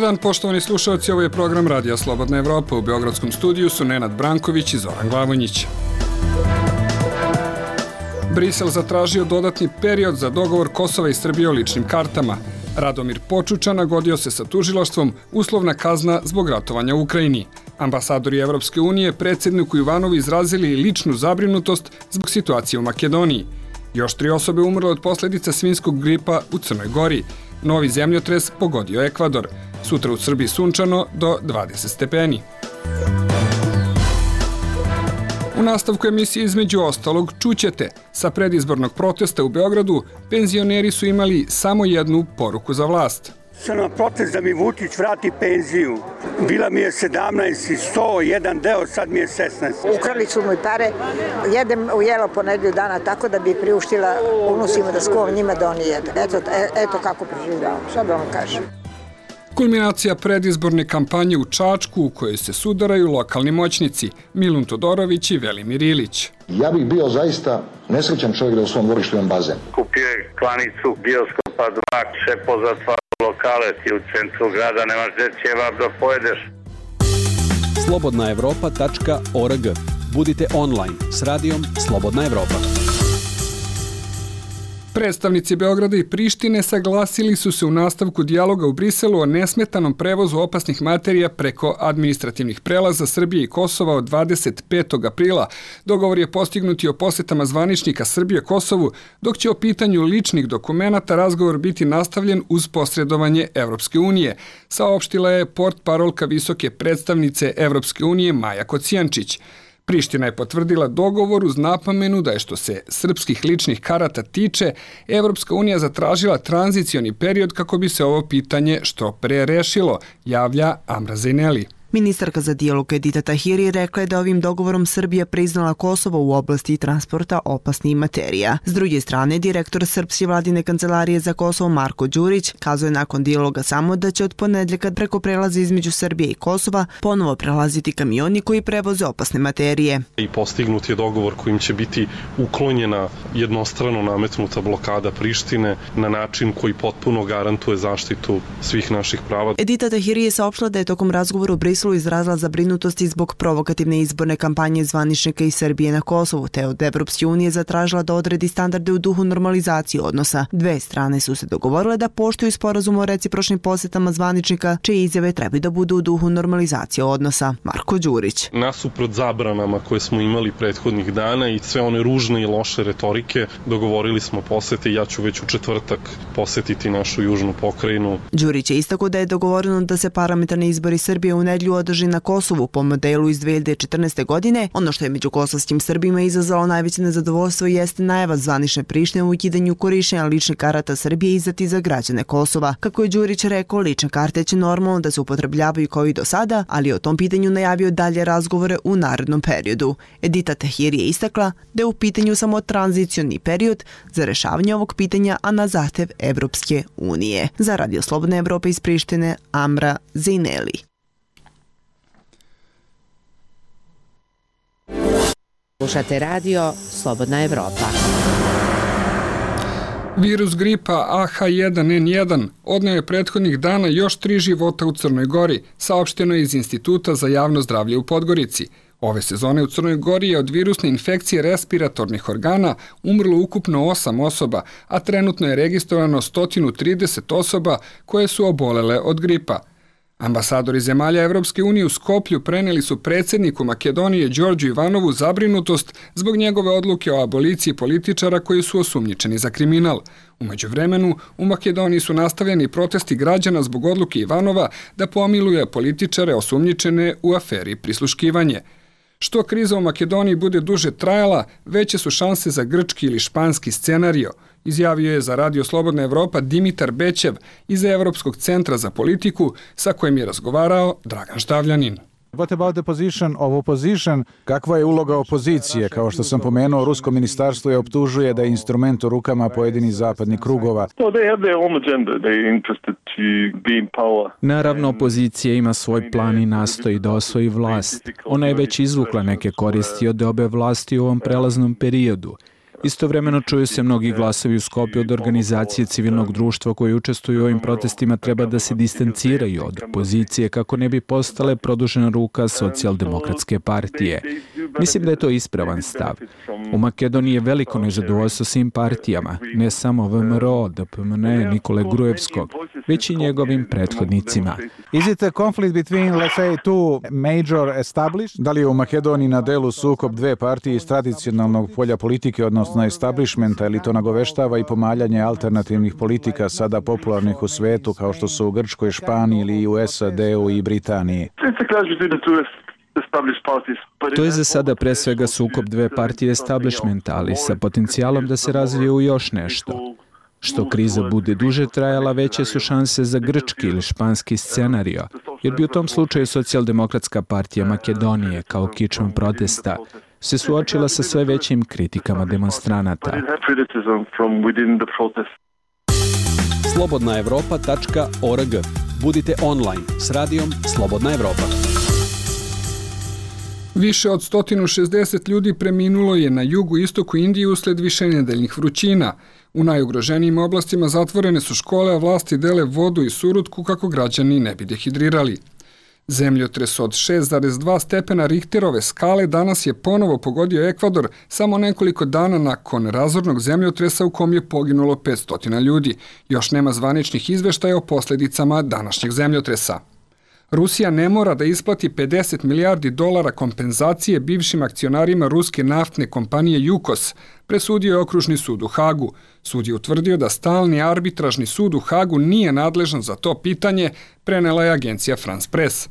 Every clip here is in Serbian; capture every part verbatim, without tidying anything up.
Dobar dan, poštovani slušalci, ovo je program Radija Slobodna Evropa. U beogradskom studiju su Nenad Branković i Zoran Glavonjić. Brisel zatražio dodatni period za dogovor Kosova i Srbije o ličnim kartama. Radomir Počuča nagodio se sa tužilaštvom, uslovna kazna zbog ratovanja u Ukrajini. Ambasadori Evropske unije predsjedniku Ivanovu izrazili ličnu zabrinutost zbog situacije u Makedoniji. Još tri osobe umrle od posljedica svinjskog gripa u Crnoj Gori. Novi zemljotres pogodio Ekvador. Sutra u Srbiji sunčano do dvadeset stepeni. U nastavku emisije između ostalog čućete. Sa predizbornog protesta u Beogradu penzioneri su imali samo jednu poruku za vlast. Sam na protest da mi Vučić vrati penziju. Bila mi je sedamnaest i sto, jedan deo, sad mi je šesnaest. Ukrali su mi pare, jedem u jelo po nedelju dana tako da bi priuštila unusima da skovam njima da oni jedu. Eto, eto kako preživljavam, šta da vam kažem. Kulminacija predizborne kampanje u Čačku u kojoj se sudaraju lokalni moćnici Milun Todorović i Velimir Ilić. Ja bih bio zaista nesrećan čovjek da u svom dvorištu imam bazen. Kupio je klanicu bioskopa dva, še pozatvarao lokale, ti u centru grada nemaš gdje ćevap da pojedeš. slobodna evropa tačka org. Budite online s radijom Slobodna Evropa. Predstavnici Beograda i Prištine saglasili su se u nastavku dijaloga u Briselu o nesmetanom prevozu opasnih materija preko administrativnih prelaza Srbije i Kosova od dvadeset petog aprila. Dogovor je postignut i o posjetama zvaničnika Srbije Kosovu, dok će o pitanju ličnih dokumenata razgovor biti nastavljen uz posredovanje Evropske unije, saopštila je portparolka visoke predstavnice Evropske unije Maja Kocijančić. Priština je potvrdila dogovor uz napomenu da je što se srpskih ličnih karata tiče, Evropska unija zatražila tranzicioni period kako bi se ovo pitanje što pre rešilo, javlja Amra Zejneli. Ministarka za dijalog Edita Tahiri rekla je da ovim dogovorom Srbija priznala Kosovo u oblasti transporta opasnih materija. S druge strane, direktor Srpske vladine kancelarije za Kosovo Marko Đurić kazuje nakon dijaloga samo da će od ponedjeljka preko prelaza između Srbije i Kosova ponovo prelaziti kamioni koji prevoze opasne materije. I postignut je dogovor kojim će biti uklonjena jednostrano nametnuta blokada Prištine na način koji potpuno garantuje zaštitu svih naših prava. Edita Tahiri je saopštila da je tokom razgovora u Briselu izrazila zabrinutosti zbog provokativne izborne kampanje zvaničnika iz Srbije na Kosovu, te od Evropske unije zatražila da odredi standarde u duhu normalizacije odnosa. Dve strane su se dogovorile da poštuju sporazum o recipročnim posjetama zvaničnika, čije izjave trebaju da budu u duhu normalizacije odnosa. Marko Đurić. Nasuprot zabranama koje smo imali prethodnih dana i sve one ružne i loše retorike, dogovorili smo posete i ja ću već u četvrtak posetiti našu južnu pokrajinu. Đurić je istakao da je dogovoreno da se parlamentarni izbori Srbije u nedjelju održi na Kosovu po modelu iz dve hiljade četrnaeste. godine. Ono što je među kosovskim Srbima izazvalo najveće nezadovoljstvo jeste najava zvanične Prištine u ukidanju korištenja ličnih karata Srbije izdati za građane Kosova. Kako je Đurić rekao, lične karte će normalno da se upotrebljavaju kao i do sada, ali je o tom pitanju najavio dalje razgovore u narednom periodu. Edita Tahiri je istakla da je u pitanju samo tranzicioni period za rešavanje ovog pitanja, a na zahtev Evropske unije. Za Radio Slobodne Evrope iz Prištine, Amra Zejneli. Slušate radio Slobodna Evropa. Virus gripa A H jedan N jedan odneo je prethodnih dana još tri života u Crnoj Gori, saopšteno je iz Instituta za javno zdravlje u Podgorici. Ove sezone u Crnoj Gori je od virusne infekcije respiratornih organa umrlo ukupno osam osoba, a trenutno je registrovano sto trideset osoba koje su obolele od gripa. Ambasadori zemalja Evropske unije u Skoplju preneli su predsjedniku Makedonije Đorđu Ivanovu zabrinutost zbog njegove odluke o aboliciji političara koji su osumnjičeni za kriminal. U međuvremenu, u Makedoniji su nastavljeni protesti građana zbog odluke Ivanova da pomiluje političare osumnjičene u aferi prisluškivanje. Što kriza u Makedoniji bude duže trajala, veće su šanse za grčki ili španski scenario, izjavio je za Radio Slobodna Evropa Dimitar Bećev iz Evropskog centra za politiku sa kojim je razgovarao Dragan Štavljanin. What about the position of opposition? Kakva je uloga opozicije? Kao što sam pomenuo, rusko ministarstvo je optužuje da je instrument u rukama pojedinih zapadnih krugova. Naravno, opozicija ima svoj plan i nastoji da osvoji vlast. Ona je već izvukla neke koristi od obe vlasti u ovom prelaznom periodu. Istovremeno čuju se mnogi glasovi u Skopju od organizacije civilnog društva koji učestvuju u ovim protestima treba da se distanciraju od opozicije kako ne bi postale produžena ruka socijaldemokratske partije. Mislim da je to ispravan stav. U Makedoniji je veliko nezadovoljstvo svim partijama, ne samo V M R O, D P M N, Nikole Grujevskog, već i njegovim prethodnicima. Is it a conflict between, let's say, two major established? Da li je u Makedoniji na delu sukob dve partije iz tradicionalnog polja politike, odnosno establishmenta, ili to nagoveštava i pomaljanje alternativnih politika sada popularnih u svetu, kao što su u Grčkoj, Španiji ili u S A D-u i Britaniji? To je za sada pre svega sukob dve partije establishmenta, ali sa potencijalom da se razvije u još nešto. Što kriza bude duže trajala, veće su šanse za grčki ili španski scenario, jer bi u tom slučaju Socijaldemokratska partija Makedonije, kao kičma protesta, se suočila sa sve većim kritikama demonstranata. slobodna evropa tačka org. Budite online s radijom Slobodna Evropa. Više od sto šezdeset ljudi preminulo je na jugu i istoku Indije usled višenedeljnih vrućina. U najugroženijim oblastima zatvorene su škole, a vlasti dele vodu i surutku kako građani ne bi dehidrirali. Zemljotres od šest zarez dva stepena Richterove skale danas je ponovo pogodio Ekvador samo nekoliko dana nakon razornog zemljotresa u kom je poginulo petsto ljudi. Još nema zvaničnih izveštaja o posljedicama današnjeg zemljotresa. Rusija ne mora da isplati pedeset milijardi dolara kompenzacije bivšim akcionarima ruske naftne kompanije Jukos, presudio je okružni sud u Hagu. Sud je utvrdio da stalni arbitražni sud u Hagu nije nadležan za to pitanje, prenela je agencija France Press.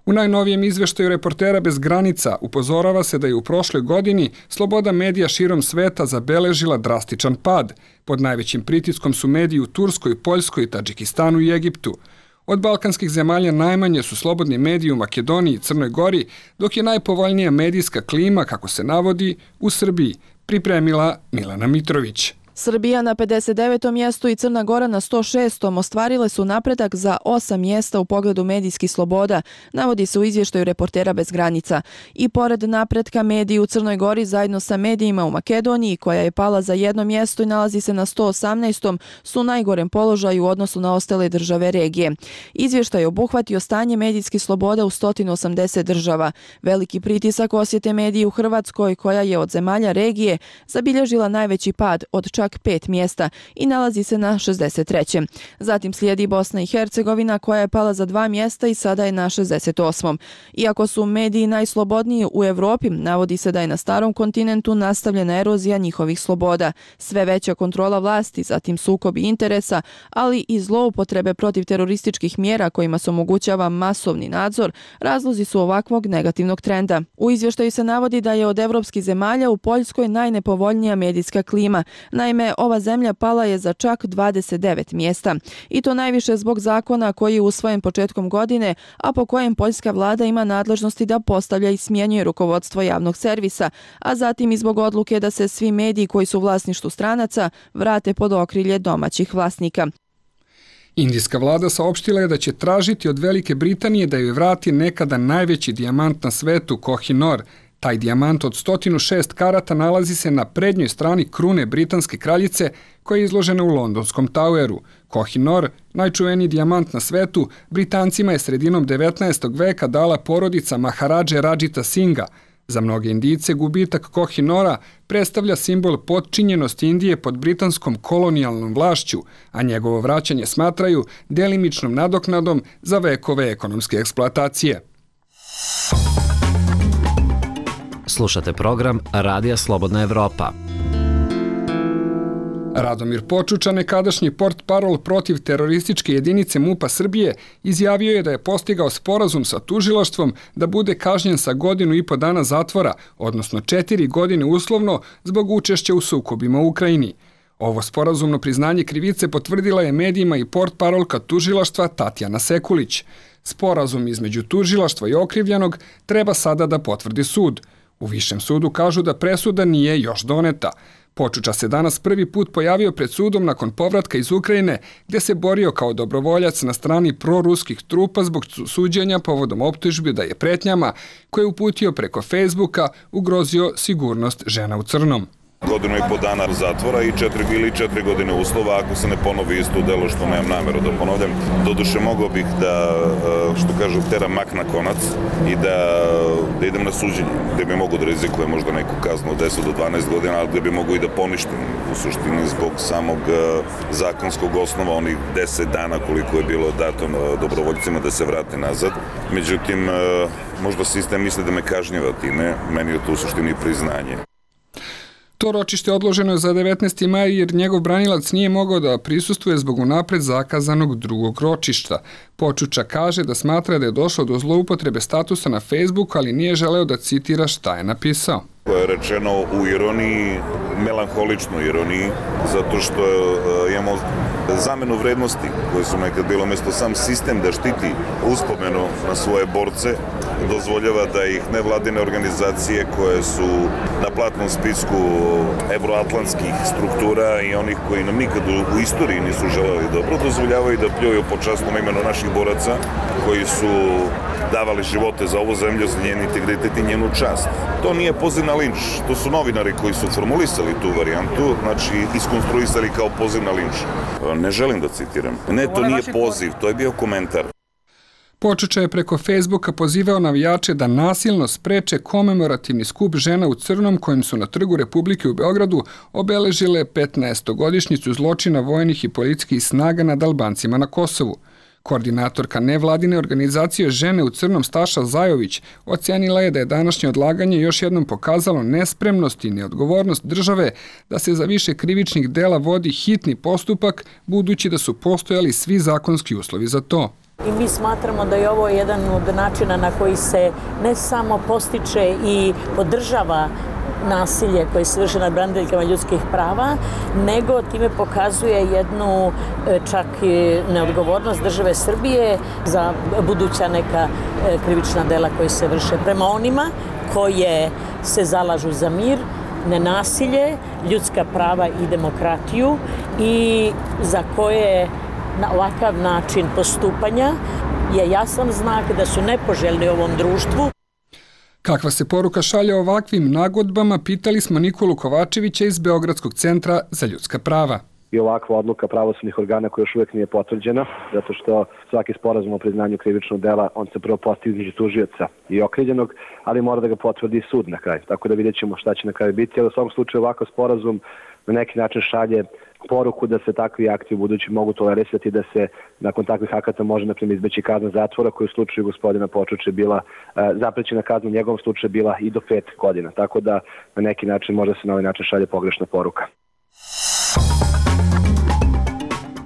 U najnovijem izveštaju Reportera bez granica upozorava se da je u prošloj godini sloboda medija širom sveta zabeležila drastičan pad. Pod najvećim pritiskom su mediji u Turskoj, Poljskoj, Tadžikistanu i Egiptu. Od balkanskih zemalja najmanje su slobodni mediji u Makedoniji i Crnoj Gori, dok je najpovoljnija medijska klima, kako se navodi, u Srbiji, pripremila Milana Mitrović. Srbija na pedeset devetom mjestu i Crna Gora na sto šestom ostvarile su napredak za osam mjesta u pogledu medijskih sloboda, navodi se u izvještaju Reportera bez granica. I pored napretka mediji u Crnoj Gori zajedno sa medijima u Makedoniji, koja je pala za jedno mjesto i nalazi se na sto osamnaestom, su u najgorem položaju u odnosu na ostale države regije. Izvještaj je obuhvatio stanje medijskih sloboda u sto osamdeset država. Veliki pritisak osjete mediji u Hrvatskoj, koja je od zemalja regije zabilježila najveći pad od čak pet mjesta i nalazi se na šezdeset trećem. Zatim slijedi Bosna i Hercegovina, koja je pala za dva mjesta i sada je na šezdeset osmom. Iako su mediji najslobodniji u Evropi, navodi se da je na starom kontinentu nastavljena erozija njihovih sloboda. Sve veća kontrola vlasti, zatim sukobi interesa, ali i zloupotrebe protiv terorističkih mjera kojima se omogućava masovni nadzor, razlozi su ovakvog negativnog trenda. U izvještaju se navodi da je od evropskih zemalja u Poljskoj najnepovoljnija medijska klima. Naime, ova zemlja pala je za čak dvadeset devet mjesta. I to najviše zbog zakona koji je usvojen početkom godine, a po kojem poljska vlada ima nadležnosti da postavlja i smjenjuje rukovodstvo javnog servisa, a zatim i zbog odluke da se svi mediji koji su u vlasništvu stranaca vrate pod okrilje domaćih vlasnika. Indijska vlada saopštila je da će tražiti od Velike Britanije da joj vrati nekada najveći dijamant na svetu, Koh-i-Noor. Taj dijamant od sto šest karata nalazi se na prednjoj strani krune britanske kraljice koja je izložena u londonskom Toweru. Koh-i-Noor, najčuveniji dijamant na svetu, Britancima je sredinom devetnaestog veka dala porodica Maharadže Radžita Singa. Za mnoge Indijce gubitak Koh-i-Noora predstavlja simbol potčinjenosti Indije pod britanskom kolonijalnom vlašću, a njegovo vraćanje smatraju delimičnom nadoknadom za vekove ekonomske eksploatacije. Slušate program Radija Slobodna Evropa. Radomir Počuča, nekadašnji portparol protiv terorističke jedinice MUP-a Srbije, izjavio je da je postigao sporazum sa tužilaštvom da bude kažnjen sa godinu i po dana zatvora, odnosno četiri godine uslovno, zbog učešća u sukobima u Ukrajini. Ovo sporazumno priznanje krivice potvrdila je medijima i portparolka tužilaštva Tatjana Sekulić. Sporazum između tužilaštva i okrivljenog treba sada da potvrdi sud. U Višem sudu kažu da presuda nije još doneta. Počuča se danas prvi put pojavio pred sudom nakon povratka iz Ukrajine, gdje se borio kao dobrovoljac na strani proruskih trupa zbog suđenja povodom optužbi da je pretnjama koje je uputio preko Facebooka ugrozio sigurnost žena u crnom. Godinu i po dana zatvora i četiri ili četiri godine uslova ako se ne ponovi isto delo, što nemam nameru da ponovljam. Doduše mogao bih da, što kažu, teram mak na konac i da, da idem na suđenje, gde bi mogu da rizikujem možda neku kaznu od deset do dvanaest godina, ali gde bi mogu i da poništim u suštini zbog samog zakonskog osnova onih deset dana koliko je bilo dato dobrovoljcima da se vrate nazad. Međutim, možda sistem misli da me kažnjava time, meni je to u suštini priznanje. To ročište odloženo je za devetnaesti maj jer njegov branilac nije mogao da prisustvuje zbog unapred zakazanog drugog ročišta. Počuča kaže da smatra da je došlo do zloupotrebe statusa na Facebooku, ali nije želeo da citira šta je napisao. Koje je rečeno u ironiji, melanholičnoj ironiji, zato što imamo zamenu vrednosti koje su nekad bilo mesto sam sistem da štiti uspomenu na svoje borce, dozvoljava da ih nevladine organizacije koje su na platnom spisku evroatlantskih struktura i onih koji nam nikad u istoriji nisu želeli dobro, dozvoljavaju da pljuju po časnom imenu naših boraca koji su davali živote za ovu zemlju, za njen integritet i njenu čast. To nije poziv na linč, to su novinari koji su formulisali tu varijantu, znači iskonstruisali kao poziv na linč. Ne želim da citiram. Ne, to nije poziv, to je bio komentar. Počuča je preko Facebooka pozivao navijače da nasilno spreče komemorativni skup žena u crnom kojim su na Trgu Republike u Beogradu obeležile petnaestogodišnjicu zločina vojnih i policijskih snaga nad Albancima na Kosovu. Koordinatorka nevladine organizacije Žene u crnom Staša Zajović ocenila je da je današnje odlaganje još jednom pokazalo nespremnost i neodgovornost države da se za više krivičnih dela vodi hitni postupak, budući da su postojali svi zakonski uslovi za to. I mi smatramo da je ovo jedan od načina na koji se ne samo postiče i podržava nasilje koje se vrši nad braniteljkama ljudskih prava, nego time pokazuje jednu čak i neodgovornost države Srbije za buduća neka krivična dela koje se vrše prema onima koje se zalažu za mir, nenasilje, ljudska prava i demokratiju i za koje na ovakav način postupanja je jasan znak da su nepoželjni u ovom društvu. Kakva se poruka šalje ovakvim nagodbama, pitali smo Nikolu Kovačevića iz Beogradskog centra za ljudska prava. I ovakva odluka pravosudnih organa koja još uvijek nije potvrđena, zato što svaki sporazum o priznanju krivičnog dela, on se prvo postavi između tužioca i okrivljenog, ali mora da ga potvrdi sud na kraju. Tako da vidjet ćemo šta će na kraju biti, ali u svom slučaju ovakav sporazum na neki način šalje poruku da se takvi akti u budući mogu tolerisati, da se nakon takvih akata može na primjer izbeći kazna zatvora koja u slučaju gospodina Počuče bila e, zaprećena kazna, u njegovom slučaju bila i do pet godina. Tako da na neki način možda se na ovaj način šalje pogrešna poruka.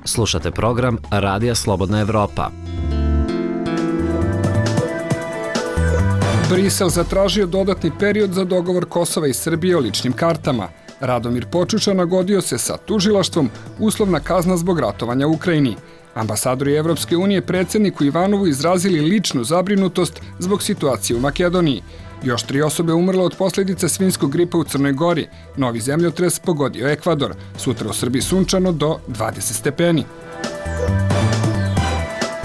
Slušate program Radija Slobodna Evropa. Brisel zatražio dodatni period za dogovor Kosova i Srbije o ličnim kartama. Radomir Počuča nagodio se sa tužilaštvom uslovna kazna zbog ratovanja u Ukrajini. Ambasadori Evropske unije predsjedniku Ivanovu izrazili ličnu zabrinutost zbog situacije u Makedoniji. Još tri osobe umrlo od posljedica svinjskog gripa u Crnoj Gori. Novi zemljotres pogodio Ekvador. Sutra u Srbiji sunčano do dvadeset stepeni.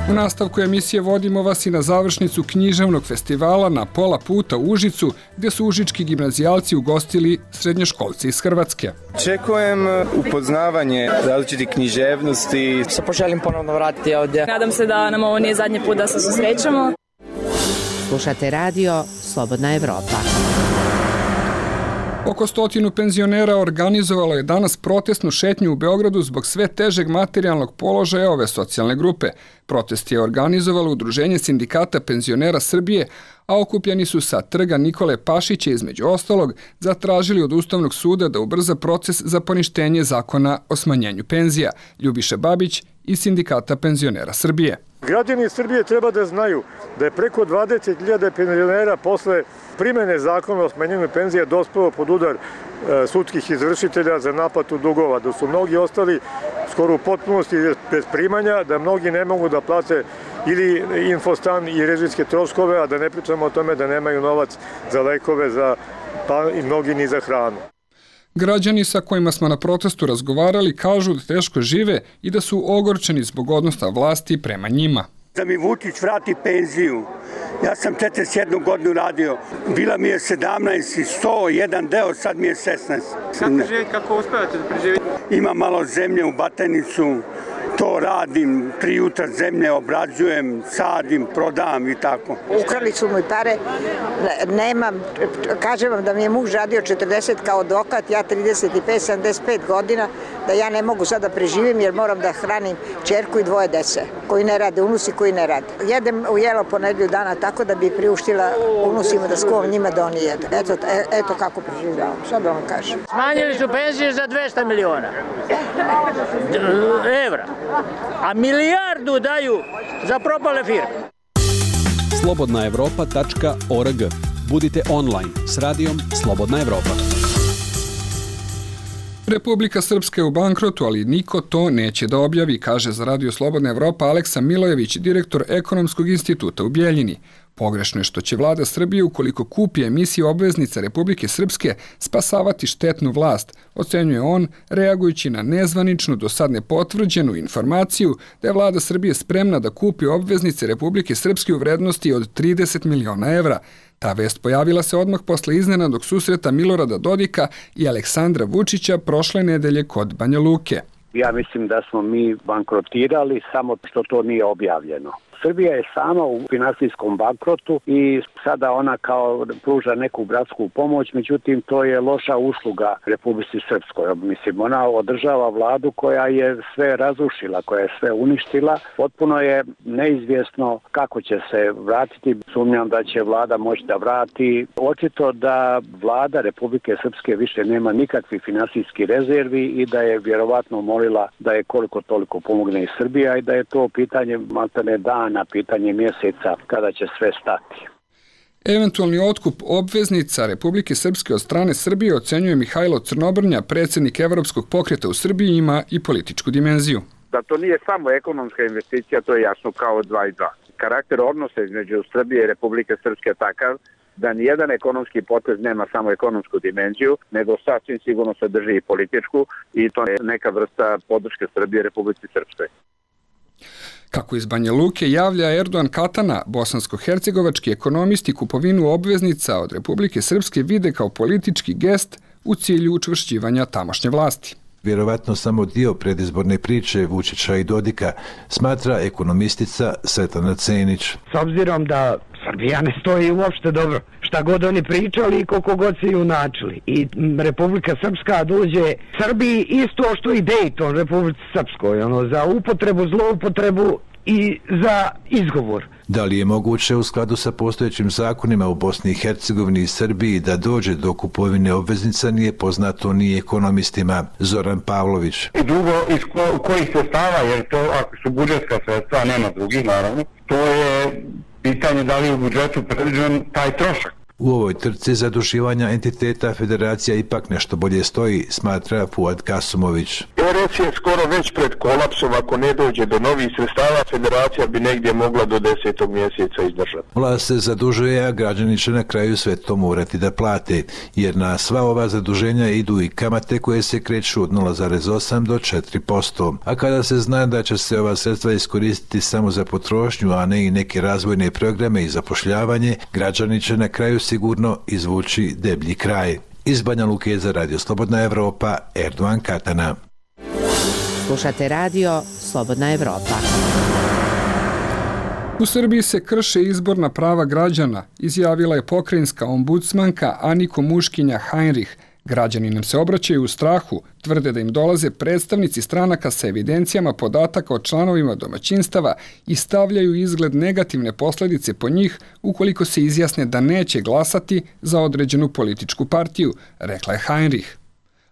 U nastavku emisije vodimo vas i na završnicu književnog festivala Na pola puta u Užicu, gdje su užički gimnazijalci ugostili srednjoškolci iz Hrvatske. Očekujem upoznavanje različitih književnosti. Se poželim ponovno vratiti ovdje. Nadam se da nam ovo nije zadnji put da se susrećemo. Slušate radio Slobodna Evropa. Oko stotinu penzionera organizovalo je danas protestnu šetnju u Beogradu zbog sve težeg materijalnog položaja ove socijalne grupe. Protest je organizovalo Udruženje sindikata penzionera Srbije, a okupljeni su sa trga Nikole Pašića između ostalog zatražili od Ustavnog suda da ubrza proces za poništenje zakona o smanjenju penzija. Ljubiša Babić iz Sindikata penzionera Srbije. Građani Srbije treba da znaju da je preko dvadeset hiljada penzionera posle primene zakona o smanjenju penzija dospelo pod udar e, sudskih izvršitelja za naplatu dugova, da su mnogi ostali skoro u potpunosti bez primanja, da mnogi ne mogu da plate ili infostan i režijske troškove, a da ne pričamo o tome da nemaju novac za lekove, za, pa i mnogi ni za hranu. Građani sa kojima smo na protestu razgovarali kažu da teško žive i da su ogorčeni zbog odnosa vlasti prema njima. Da mi Vučić vrati penziju. Ja sam četrdeset jednu godinu radio. Bila mi je sedamnaest i sto, jedan deo, sad mi je šesnaest. Kako živite, kako uspevate da preživite? Imam malo zemlje u Batajnicu. To radim, tri jutra zemlje obrađujem, sadim, prodam i tako. Ukrali su mi pare, nemam, kažem vam da mi je muž radio četrdeset kao advokat, ja trideset pet, sedamdeset pet godina, da ja ne mogu sada da preživim jer moram da hranim čerku i dvoje dece, koji ne rade, unusi koji ne rade. Jedem u jelo po nedelju dana tako da bi priuštila unusima da skuvam njima da oni jedu. Eto, eto kako preživljavam, šta da vam kažem. Smanjili su penzije za dvesta miliona evra. A milijardu daju za propale firme. slobodna evropa tačka org. Budite online s radijom Slobodna Evropa. Republika Srpska je u bankrotu, ali niko to neće da objavi, kaže za Radio Slobodna Evropa Aleksa Milojević, direktor Ekonomskog instituta u Bjeljini. Pogrešno je što će vlada Srbije, ukoliko kupi emisiju obveznica Republike Srpske, spasavati štetnu vlast, ocenjuje on, reagujući na nezvaničnu, do sad nepotvrđenu informaciju da je vlada Srbije spremna da kupi obveznice Republike Srpske u vrednosti od trideset miliona evra. Ta vest pojavila se odmah posle iznenadnog susreta Milorada Dodika i Aleksandra Vučića prošle nedelje kod Banja Luke. Ja mislim da smo mi bankrotirali, samo što to nije objavljeno. Srbija je sama u finansijskom bankrotu i sada ona kao pruža neku bratsku pomoć, međutim to je loša usluga Republici Srpskoj. Mislim, ona održava vladu koja je sve razrušila, koja je sve uništila. Potpuno je neizvjesno kako će se vratiti. Sumnjam da će vlada moći da vrati. Očito da vlada Republike Srpske više nema nikakvih finansijskih rezervi i da je vjerovatno molila da je koliko toliko pomogne i Srbija i da je to pitanje maltene dana, na pitanje mjeseca kada će sve stati. Eventualni otkup obveznica Republike Srpske od strane Srbije, ocenjuje Mihajlo Crnobrnja, predsjednik Evropskog pokreta u Srbiji, ima i političku dimenziju. Da to nije samo ekonomska investicija, to je jasno kao dva i dva. Karakter odnosa između Srbije i Republike Srpske je takav da nijedan ekonomski potez nema samo ekonomsku dimenziju, nego sasvim sigurno sadrži i političku i to je neka vrsta podrške Srbije Republici Srpskoj. Kako iz Banja Luke javlja Erdogan Katana, bosansko-hercegovački ekonomisti kupovinu obveznica od Republike Srpske vide kao politički gest u cilju učvršćivanja tamošnje vlasti. Vjerovatno samo dio predizborne priče Vučića i Dodika, smatra ekonomistica Svetlana Cenić. S obzirom da Srbija ne stoji uopšte dobro, šta god oni pričali i koliko god se junačili. I Republika Srpska dođe Srbiji isto što i Dejton Republici Srpskoj, ono, za upotrebu, zloupotrebu i za izgovor. Da li je moguće u skladu sa postojećim zakonima u Bosni i Hercegovini i Srbiji da dođe do kupovine obveznica nije poznato ni ekonomistima. Zoran Pavlović. I drugo, iz ko, kojih sredstava, jer to ako su budžetska sredstva, nema drugih naravno, to je pitanje da li je u budžetu predviđen taj trošak. U ovoj trci zaduživanja entiteta federacija ipak nešto bolje stoji, smatra Fuad Kasumović. R S je skoro već pred kolapsom, ako ne dođe do novih sredstava, federacija bi negdje mogla do desetog mjeseca izdržati. Vlast se zadužuje, a građani će na kraju sve to morati da plate, jer na sva ova zaduženja idu i kamate koje se kreću od nula zarez osam do četiri posto. A kada se zna da će se ova sredstva iskoristiti samo za potrošnju, a ne i neke razvojne programe i zapošljavanje, građani će na kraju sigurno izvući deblji kraj. Iz Banja Luke za Radio Slobodna Evropa, Erdogan Katana. Slušate radio Slobodna Evropa. U Srbiji se krše izborna prava građana, izjavila je pokrajinska ombudsmanka Aniko Muškinja Heinrich. Građani nam se obraćaju u strahu, tvrde da im dolaze predstavnici stranaka sa evidencijama podataka o članovima domaćinstava i stavljaju izgled negativne posljedice po njih ukoliko se izjasne da neće glasati za određenu političku partiju, rekla je Heinrich.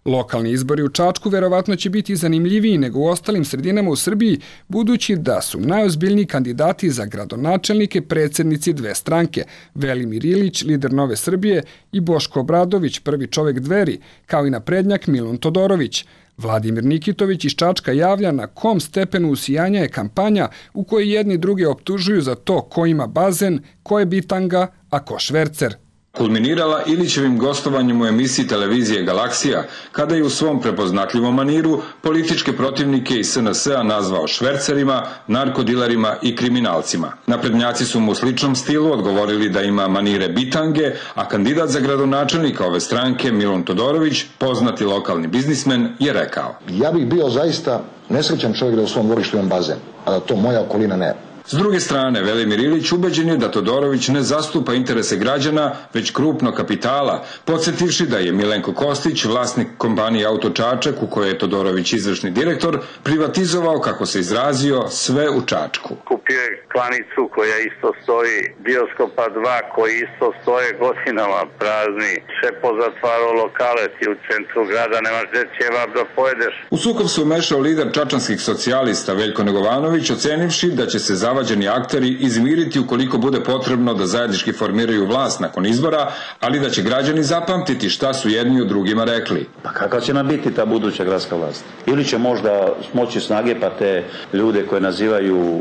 Lokalni izbori u Čačku verovatno će biti zanimljiviji nego u ostalim sredinama u Srbiji, budući da su najozbiljniji kandidati za gradonačelnike predsjednici dve stranke, Velimir Ilić, lider Nove Srbije, i Boško Obradović, prvi čovjek Dveri, kao i naprednjak Milun Todorović. Vladimir Nikitović iz Čačka javlja na kom stepenu usijanja je kampanja u kojoj jedni druge optužuju za to ko ima bazen, ko je bitanga, a ko švercer. kulminirala Ilićevim gostovanjem u emisiji televizije Galaksija, kada je u svom prepoznatljivom maniru političke protivnike iz S N S-a nazvao švercerima, narkodilerima i kriminalcima. Naprednjaci su mu u sličnom stilu odgovorili da ima manire bitange, a kandidat za gradonačelnika ove stranke Milun Todorović, poznati lokalni biznismen, je rekao: Ja bih bio zaista nesrećan čovjek da u svom dvorištu imam bazen, a da to moja okolina ne. S druge strane, Velimir Ilić ubeđen je da Todorović ne zastupa interese građana, već krupnog kapitala, podsjetivši da je Milenko Kostić, vlasnik kompanije Auto Čačak, u kojoj je Todorović izvršni direktor, privatizovao, kako se izrazio, sve u Čačku. Kupio je klanicu koja isto stoji, Bioskopa dva koji isto stoje godinama prazni, sve pozatvarao lokale, ti u centru grada nemaš gde ćevap da pojedeš. U sukob se umešao lider čačanskih socijalista Veljko Negovanović, ocenivši da će se zavađeni akteri izmiriti ukoliko bude potrebno da zajednički formiraju vlast nakon izbora, ali da će građani zapamtiti šta su jedni u drugima rekli. Pa kakva će nam biti ta buduća gradska vlast? Ili će možda smoći snage pa te ljude koje nazivaju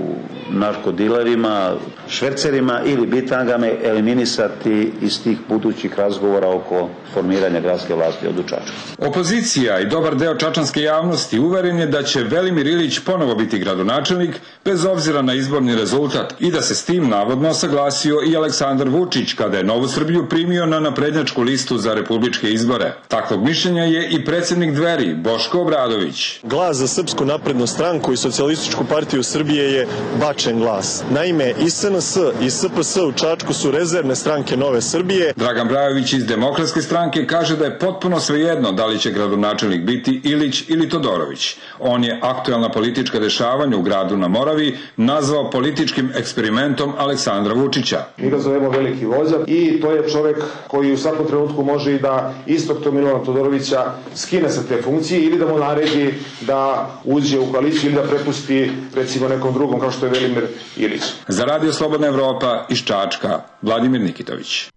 narkodilerima, švercerima ili bitangama eliminisati iz tih budućih razgovora oko formiranja gradske vlasti od Čačka. Opozicija i dobar deo čačanske javnosti uveren je da će Velimir Ilić ponovo biti gradonačelnik, bez obzira na izborni rezultat, i da se s tim navodno saglasio i Aleksandar Vučić kada je Novu Srbiju primio na naprednjačku listu za republičke izbore. Takvog mišljenja je i predsjednik Dveri, Boško Obradović. Glas za Srpsku naprednu stranku i Socijalističku partiju Srbije je bačen glas. Naime, i S N S i S P S u Čačku su rezervne stranke Nove Srbije. Dragan Brajović iz Demokratske stranke kaže da je potpuno svejedno da li će gradonačelnik biti Ilić ili Todorović. On je aktuelna politička dešavanja u gradu na Moravi nazvao političkim eksperimentom Aleksandra Vučića. Mi ga zovemo veliki vođa i to je čovek koji u svakom trenutku može i da istog tog Milana Todorovića skine sa te funkcije ili da mu naredi da uđe u koaliciju ili da prepusti recimo nekom drugom kao što je Velimir Ilić. Za Radio Slobodna Evropa iz Čačka, Vladimir Nikitović.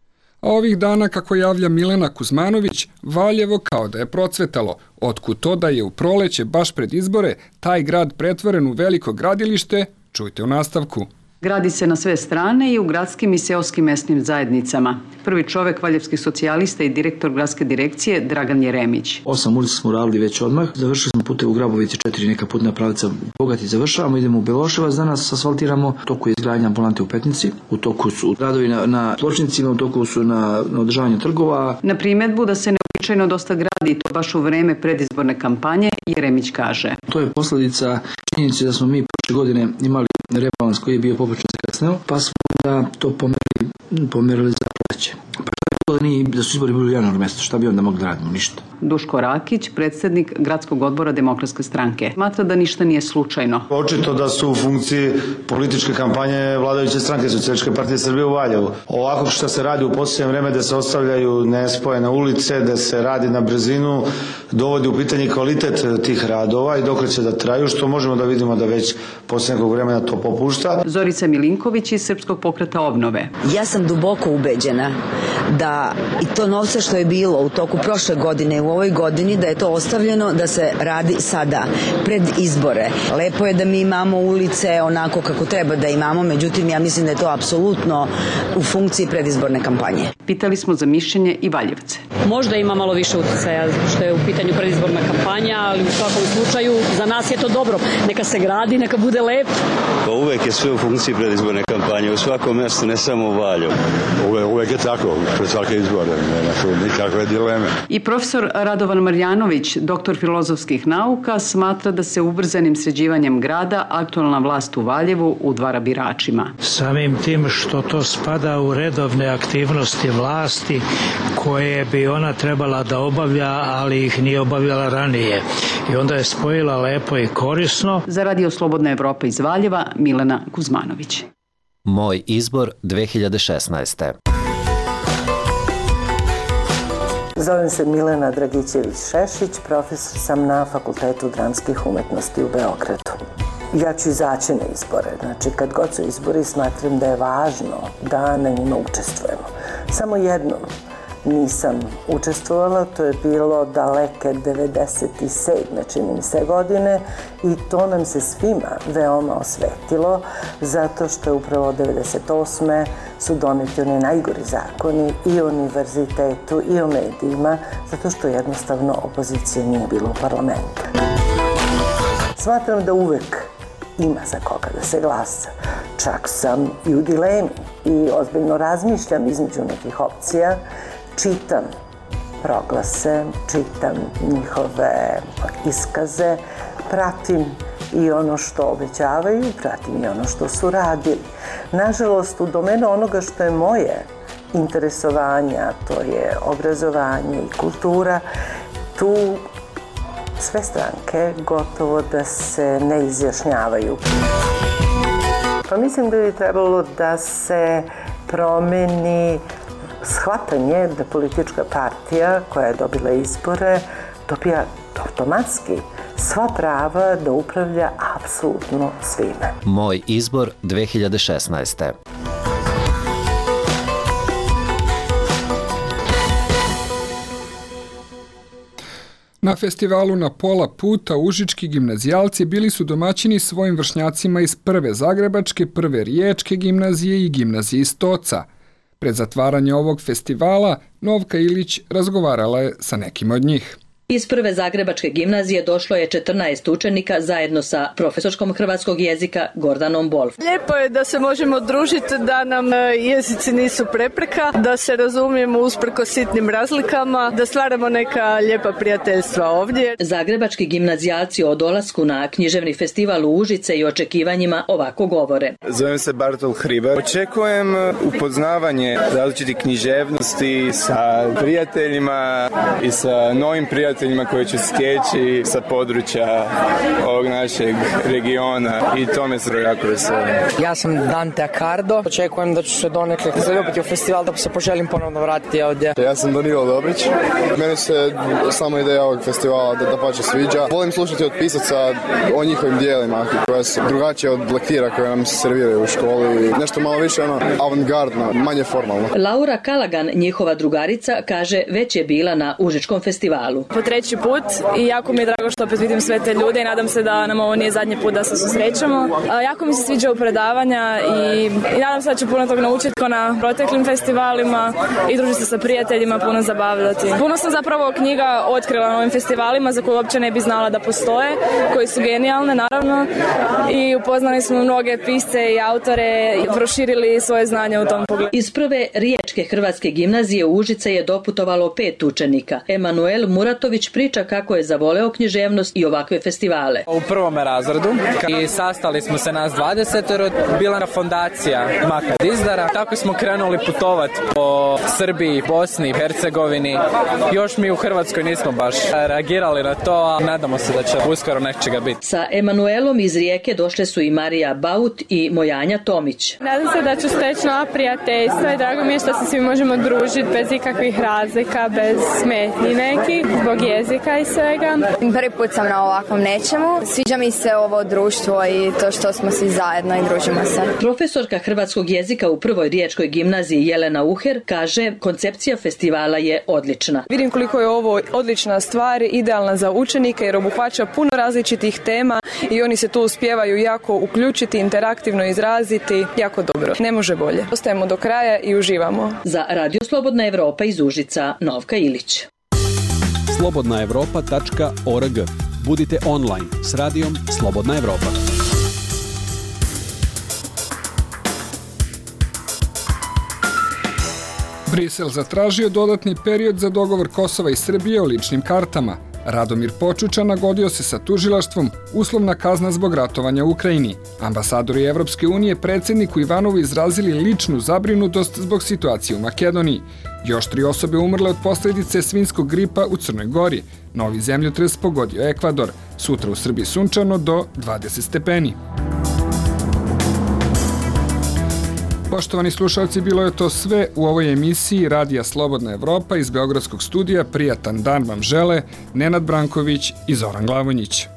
A ovih dana, kako javlja Milena Kuzmanović, Valjevo kao da je procvetalo. Otkud to da je u proleće, baš pred izbore, taj grad pretvoren u veliko gradilište, čujte u nastavku. Gradi se na sve strane i u gradskim i seoskim mesnim zajednicama. Prvi čovek valjevskih socijalista i direktor gradske direkcije Dragan Jeremić. Osam ulica smo uradili već odmah. Završili smo pute u Grabovici, četiri neka putna pravca Bogati završavamo. Idemo u Beloševac, danas asfaltiramo. U toku je izgradnja ambulante u Petnici. U toku su radovi na, na pločnicima, u toku su na, na održavanju trgova. Na primjedbu da se neobičajno dosta gradi i to baš u vreme predizborne kampanje, Jeremić kaže. To je posljedica činjenice da smo mi prošle godine imali rebalans koji je bio poprilično zakasneo, pa smo da to pomerili, pomerili za proleće. Pa što je bilo da, nije, da su izbori bili u januaru mjesecu, šta bi onda mogli da radimo? Ništa. Duško Rakić, predsjednik gradskog odbora Demokratske stranke, smatra da ništa nije slučajno. Očito da su u funkciji političke kampanje vladajuće stranke Socijalističke partije Srbije u Valjevu. Ovako što se radi u posljednje vreme da se ostavljaju nespojene ulice, da se radi na brzinu, dovodi u pitanje kvalitet tih radova i dok će da traju, što možemo da vidimo da već poslije nekog vremena to popušta. Zorica Milinković iz Srpskog pokreta obnove. Ja sam duboko ubeđena da i to novce što je bilo u toku prošle godine u ovoj godini, da je to ostavljeno da se radi sada, pred izbore. Lepo je da mi imamo ulice onako kako treba da imamo, međutim ja mislim da je to apsolutno u funkciji predizborne kampanje. Pitali smo za mišljenje i Valjevce. Možda ima malo više uticaja što je u pitanju predizborna kampanja, ali u svakom slučaju za nas je to dobro. Neka se gradi, neka bude lep. Pa uvek je sve u funkciji predizborne kampanje, u svakom mjestu, ne samo u Valjevu. Uvek, uvek je tako, pred svake izbore, nema tu nikakve dileme. I profesor Radovan Marjanović, doktor filozofskih nauka, smatra da se ubrzanim sređivanjem grada aktualna vlast u Valjevu udvara biračima. Samim tim što to spada u redovne aktivnosti vlasti koje bi ona trebala da obavlja, ali ih nije obavljala ranije. I onda je spojila lepo i korisno. Za Radio Slobodna Evropa iz Valjeva, Milena Kuzmanović. Moj izbor dve hiljade šesnaeste. Zovem se Milena Dragićević-Šešić, profesor sam na Fakultetu dramskih umetnosti u Beogradu. Ja ću izaći na izbore, znači kad god su izbori smatram da je važno da na njima učestvujemo. Samo jednom nisam učestvovala, to je bilo daleke devedeset sedme čini mi se godine i to nam se svima veoma osvetilo zato što je upravo devedeset osme su doneti oni najgori zakoni i o univerzitetu i o medijima zato što jednostavno opozicije nije bilo u parlamentu. Smatram da uvek ima za koga da se glasa. Čak sam i u dilemi i ozbiljno razmišljam između nekih opcija, čitam proglase, čitam njihove iskaze, pratim i ono što obećavaju, pratim i ono što su radili. Nažalost, u domenu onoga što je moje interesovanja, to je obrazovanje i kultura, tu sve stranke gotovo da se ne izjašnjavaju. Pa mislim da bi trebalo da se promeni shvatanje da politička partija koja je dobila izbore dobija automatski sva prava da upravlja apsolutno svime. Moj izbor dve hiljade šesnaeste. Na festivalu Na pola puta užički gimnazijalci bili su domaćini svojim vršnjacima iz prve Zagrebačke, prve Riječke gimnazije i gimnazije iz Toca. Pred zatvaranje ovog festivala Novka Ilić razgovarala je sa nekim od njih. Iz prve Zagrebačke gimnazije došlo je četrnaest učenika zajedno sa profesorskom hrvatskog jezika Gordanom Bolf. Lijepo je da se možemo družiti, da nam jezici nisu prepreka, da se razumijemo usprkos sitnim razlikama, da stvaramo neka lijepa prijateljstva ovdje. Zagrebački gimnazijalci o dolasku na književni festival u Užice i očekivanjima ovako govore. Zovem se Bartol Hribar. Očekujem upoznavanje različitih književnosti sa prijateljima i sa novim prijateljima koji će stječi sa područja ovog našeg regiona i to me se jako veseli. Ja sam Dante Accardo, očekujem da ću se donekle zaljubiti u festival, da se poželim ponovno vratiti ovdje. Ja sam Danilo Dobrić, meni se samo ideja ovog festivala da, da pače sviđa. Volim slušati od pisaca o njihovim dijelima koja su drugačije od lektira koje nam se serviraju u školi, nešto malo više ono avantgardno, manje formalno. Laura Kalagan, njihova drugarica, kaže već je bila na Užičkom festivalu. Po treći put i jako mi je drago što opet vidim sve te ljude i nadam se da nam ovo nije zadnji put da se susrećemo. A, jako mi se sviđaju predavanja i, i nadam se da ću puno toga naučiti kao na proteklim festivalima i družiti se sa prijateljima, puno zabavljati. Puno sam zapravo knjiga otkrila na ovim festivalima za koje uopće ne bi znala da postoje, koji su genijalne naravno i upoznali smo mnoge pisce i autore i proširili svoje znanje u tom pogledu. Iz prve Riječke hrvatske gimnazije u Užice je doputovalo pet učenika. Emanuel Muratović priča kako je zavoleo književnost i ovakve festivale. U prvom razredu i sastali smo se nas dvadeset, bila na fondacija Makad Izdara. Tako smo krenuli putovati po Srbiji, Bosni, Hercegovini. Još mi u Hrvatskoj nismo baš reagirali na to, a nadamo se da će uskoro nečega biti. Sa Emanuelom iz Rijeke došle su i Marija Baut i Mojanja Tomić. Nadam se da ću steći nova prijateljstva i drago mi je što se svi možemo družiti bez ikakvih razlika, bez smetnji nekih, zbog jezika i svega. Prvi put sam na ovakvom nečemu. Sviđa mi se ovo društvo i to što smo svi zajedno i družimo se. Profesorka hrvatskog jezika u prvoj Riječkoj gimnaziji Jelena Uher kaže koncepcija festivala je odlična. Vidim koliko je ovo odlična stvar, idealna za učenike jer obuhvaća puno različitih tema i oni se tu uspijevaju jako uključiti, interaktivno izraziti, jako dobro. Ne može bolje. Ostajemo do kraja i uživamo. Za Radio Slobodna Evropa iz Užica, Novka Ilić. slobodna evropa tačka org. Budite online s radijom Slobodna Evropa. Brisel zatražio dodatni period za dogovor Kosova i Srbije o ličnim kartama. Radomir Počuča nagodio se sa tužilaštvom, uslovna kazna zbog ratovanja u Ukrajini. Ambasadori Evropske unije predsjedniku Ivanovu izrazili ličnu zabrinutost zbog situacije u Makedoniji. Još tri osobe umrle od posljedice svinjskog gripa u Crnoj Gori. Novi zemljotres pogodio Ekvador. Sutra u Srbiji sunčano do dvadeset stepeni. Poštovani slušalci, bilo je to sve u ovoj emisiji Radija Slobodna Evropa iz Beogradskog studija. Prijatan dan vam žele Nenad Branković i Zoran Glavonjić.